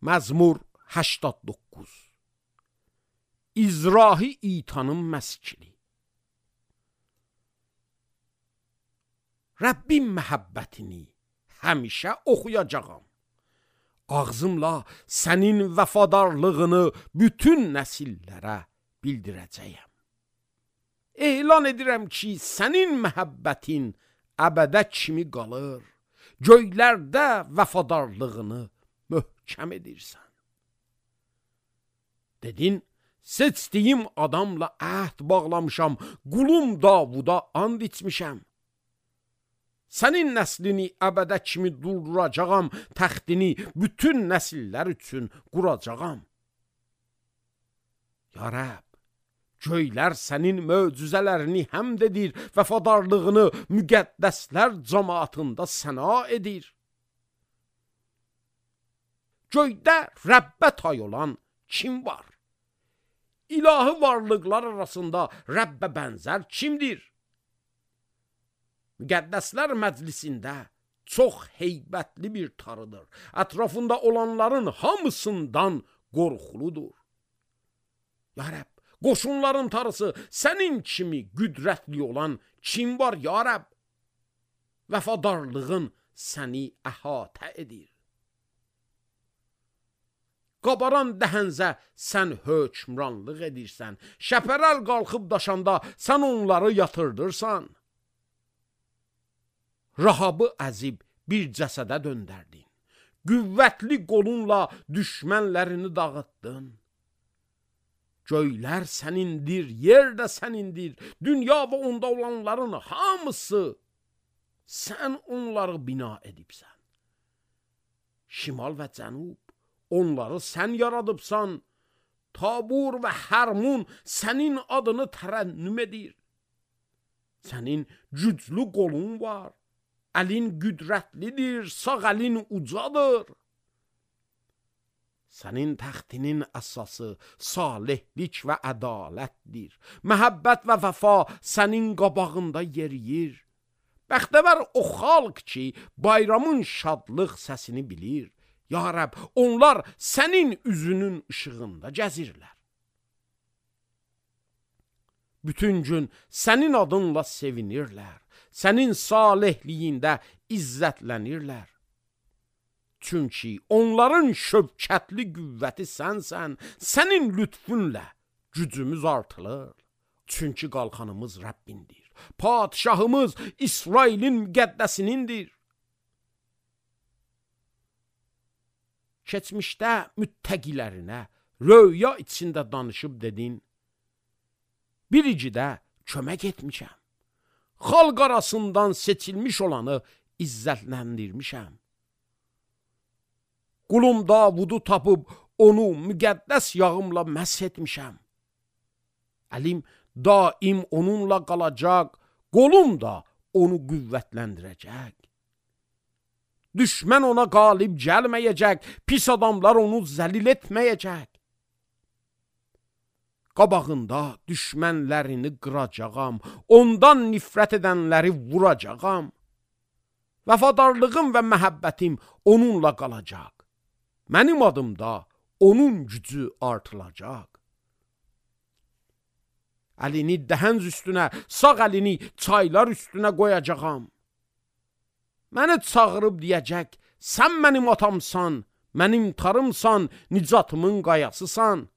Məzmur 89. İzrahi itanın məskili. Rəbbin məhəbbətini həmişə oxuyacağam. Ağzımla sənin vəfadarlığını bütün nəsillərə bildirəcəyəm. Elan edirəm ki, sənin məhəbbətin əbədə kimi qalır. Göylərdə vəfadarlığını möhkəm edirsən. Dedin, seçdiyim adamla əhd bağlamışam, qulum Davuda and içmişəm. Sənin nəslini əbədə kimi durduracağam, təxtini bütün nəsillər üçün quracağam. Ya Rəbb, göylər sənin möcüzələrini həmd edir, vəfadarlığını müqəddəslər cəmaatında səna edir. Göydə Rəbbə tay olan kim var? İlahi varlıqlar arasında Rəbbə bənzər kimdir? Müqəddəslər məclisində çox heybətli bir tarıdır. Ətrafında olanların hamısından qorxuludur. Ya Rəbb, qoşunların tarısı sənin kimi qüdrətli olan kim var ya Rəbb? Vəfadarlığın səni əhatə edir. Qabaran dəhənzə sən hökmranlıq edirsən. Şəpərəl qalxıb daşanda sən onları yatırdırsan. Rahabı əzib bir cəsədə döndərdin. Qüvvətli qolunla düşmənlərini dağıtdın. Göylər sənindir, yer də sənindir. Dünya və onda olanların hamısı sən onları bina edibsən. Şimal və cənub onları sən yaradıbsan. Tabur və Hərmun sənin adını tərənnüm edir. Sənin güclü qolun var. Əlin qüdrətlidir, sağ əlin ucadır. Sənin təxtinin əsası salihlik və ədalətdir. Məhəbbət və vəfa sənin qabağında yeriyir. Bəxtəvər o xalq ki, bayramın şadlıq səsini bilir. Ya Rəbb, onlar sənin üzünün işığında gəzirlər. Bütün gün sənin adınla sevinirlər. Sənin salihliyində izzətlənirlər. Çünki onların şövkətli qüvvəti sənsən, sənin lütfunlə gücümüz artılır. Çünki qalxanımız Rəbbindir. Padişahımız İsrailin müqəddəsinindir. Keçmişdə müttəqilərinə röya içində danışıb dedin, biricidə kömək etmişəm. Xalq arasından seçilmiş olanı izzətləndirmişəm. Qulum Davudu tapıb onu müqəddəs yağımla məsh etmişəm. Əlim daim onunla qalacaq, qolum da onu qüvvətləndirəcək. Düşmən ona qalib gəlməyəcək, pis adamlar onu zəlil etməyəcək. Qabağında düşmənlərini qıracağam, ondan nifrət edənləri vuracağam. Vəfadarlığım və məhəbbətim onunla qalacaq. Mənim adımda onun gücü artılacaq. Əlini dəhənz üstünə, sağ əlini çaylar üstünə qoyacağam. Məni çağırıb deyəcək, sən mənim atamsan, mənim tarımsan, nicatımın qayasısan.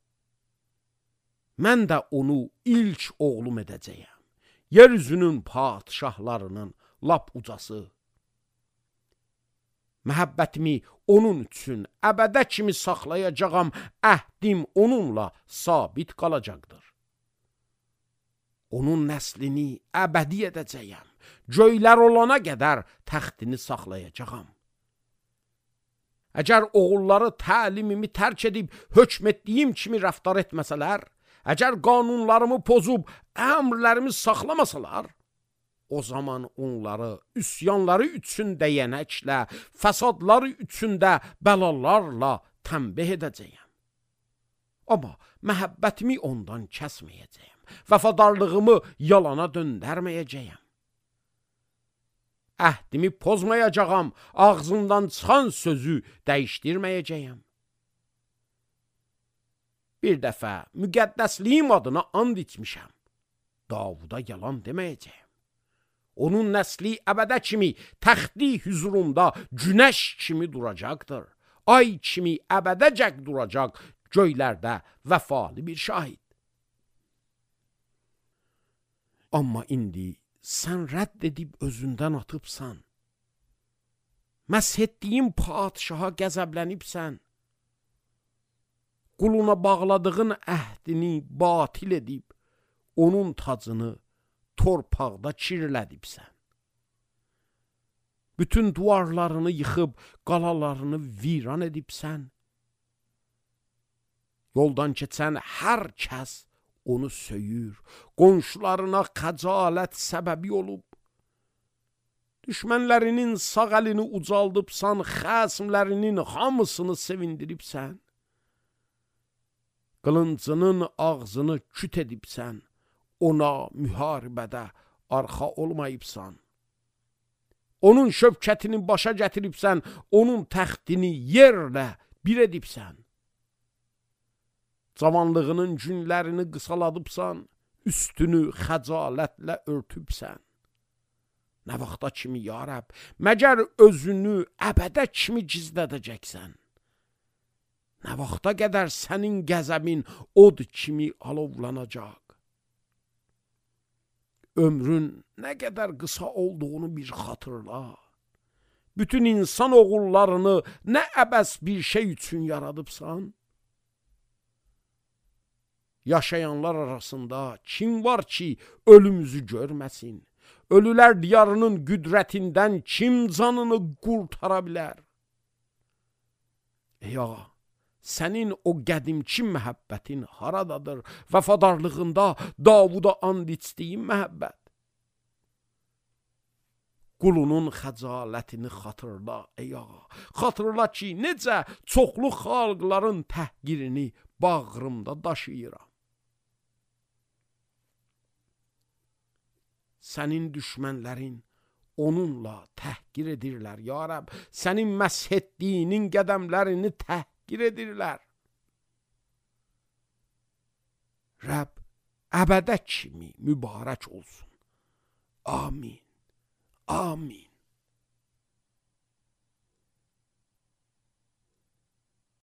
Mən də onu ilk oğlum edəcəyəm. Yeryüzünün padişahlarının lap ucası. Məhəbbətimi onun üçün əbədə kimi saxlayacağam, əhdim onunla sabit qalacaqdır. Onun nəslini əbədi edəcəyəm. Göylər olana qədər təxtini saxlayacağam. Əgər oğulları təlimimi tərk edib hökm etdiyim kimi rəftar etməsələr, əgər qanunlarımı pozub əmrlərimi saxlamasalar, o zaman onları üsyanları üçün dəyənəklə, fəsadları üçün də bəlalarla tənbih edəcəyəm. Amma məhəbbətimi ondan kəsməyəcəyəm. Vəfadarlığımı yalana döndərməyəcəyəm. Əhdimi pozmayacağam, ağzımdan çıxan sözü dəyişdirməyəcəyəm. bir dəfə müqəddəsliyim adına and içmişəm. Davuda yalan deməyəcəyəm. Onun nəsli əbədə kimi təxti hüzurunda günəş kimi duracaqdır. Ay kimi əbədəcək duracaq göylərdə vəfalı bir şahid. Amma indi sən rədd edib özündən atıbsan. Məsh etdiyin padişaha qəzəblənibsən. Quluna bağladığın əhdini batil edib, onun tacını torpaqda kirlədibsən. Bütün duvarlarını yıxıb, qalalarını viran edibsən. Yoldan keçən hər kəs onu söyür, qonşularına xəcalət səbəbi olub. Düşmənlərinin sağ əlini ucaldıbsan, xəsmlərinin hamısını sevindiribsən. Qılıncının ağzını küt edibsən, ona müharibədə arxa olmayıbsan. Onun şövkətini başa gətiribsən, onun təxtini yerlə bir edibsən. Cavanlığının günlərini qısaladıbsan, üstünü xəcalətlə örtübsən. Nə vaxta kimi, ya Rəbb, məgər özünü əbədə kimi gizlədəcəksən? Nə vaxta qədər sənin qəzəbin od kimi alovlanacaq? Ömrün nə qədər qısa olduğunu bir xatırla. Bütün insan oğullarını nə əbəs bir şey üçün yaradıbsan? Yaşayanlar arasında kim var ki ölümümüzü görməsin? Ölülər diyarının qüdrətindən kim canını qurtara bilər? Ey ağa, sənin o qədimki məhəbbətin haradadır? Vəfadarlığında Davuda and içdiyin məhəbbət. Qulunun xəcalətini xatırla, ey ağa. Xatırla ki, necə çoxlu xalqların təhqirini bağrımda daşıyıram. Sənin düşmənlərin onunla təhqir edirlər, ya Rəbb. Sənin məsh etdiyinin qədəmlərini təhqir edirlər. Rəbb, əbədə kimi mübarək olsun. Amin. Amin.